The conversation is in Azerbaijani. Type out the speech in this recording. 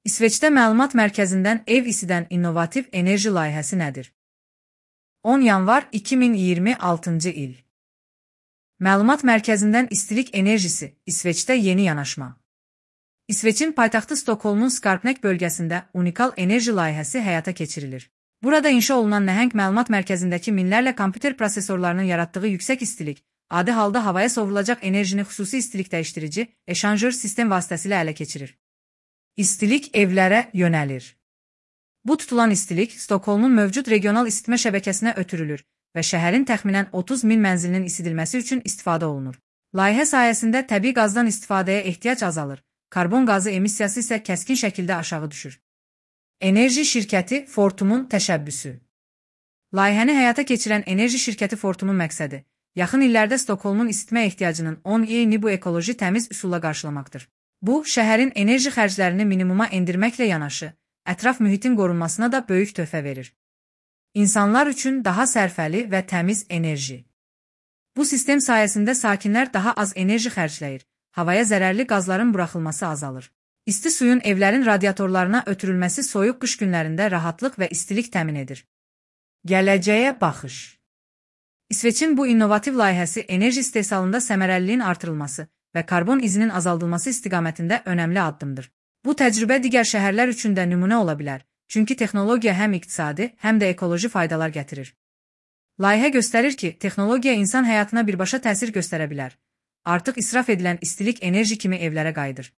İsveçdə məlumat mərkəzindən ev isidən innovativ enerji layihəsi nədir? 10 yanvar 2026-cı il. Məlumat mərkəzindən istilik enerjisi, İsveçdə yeni yanaşma. İsveçin paytaxtı Stokholmun Skarpnäck bölgəsində unikal enerji layihəsi həyata keçirilir. Burada inşa olunan nəhəng məlumat mərkəzindəki minlərlə kompüter prosesorlarının yaratdığı yüksək istilik, adi halda havaya sovrulacaq enerjini xüsusi istilik dəyişdirici, eşanjör sistem vasitəsilə ələ keçirir. İstilik evlərə yönəlir. Bu tutulan istilik Stokholmun mövcud regional isitmə şəbəkəsinə ötürülür və şəhərin təxminən 30 min mənzilinin isidilməsi üçün istifadə olunur. Layihə sayəsində təbii qazdan istifadəyə ehtiyac azalır, karbon qazı emissiyası isə kəskin şəkildə aşağı düşür. Enerji şirkəti Fortum'un təşəbbüsü. Layihəni həyata keçirən enerji şirkəti Fortum'un məqsədi, yaxın illərdə Stokholmun isitmə ehtiyacının 10 bu ekoloji təmiz üsulla qarşılamaqdır. Bu, şəhərin enerji xərclərini minimuma endirməklə yanaşı, ətraf mühitin qorunmasına da böyük töhfə verir. İnsanlar üçün daha sərfəli və təmiz enerji. Bu sistem sayəsində sakinlər daha az enerji xərcləyir, havaya zərərli qazların buraxılması azalır. İsti suyun evlərin radiatorlarına ötürülməsi soyuq qış günlərində rahatlıq və istilik təmin edir. Gələcəyə baxış. İsveçin bu innovativ layihəsi enerji istehsalında səmərəliliyin artırılması və karbon izinin azaldılması istiqamətində önəmli addımdır. Bu təcrübə digər şəhərlər üçün də nümunə ola bilər, çünki texnologiya həm iqtisadi, həm də ekoloji faydalar gətirir. Layihə göstərir ki, texnologiya insan həyatına birbaşa təsir göstərə bilər. Artıq israf edilən istilik enerji kimi evlərə qayıdır.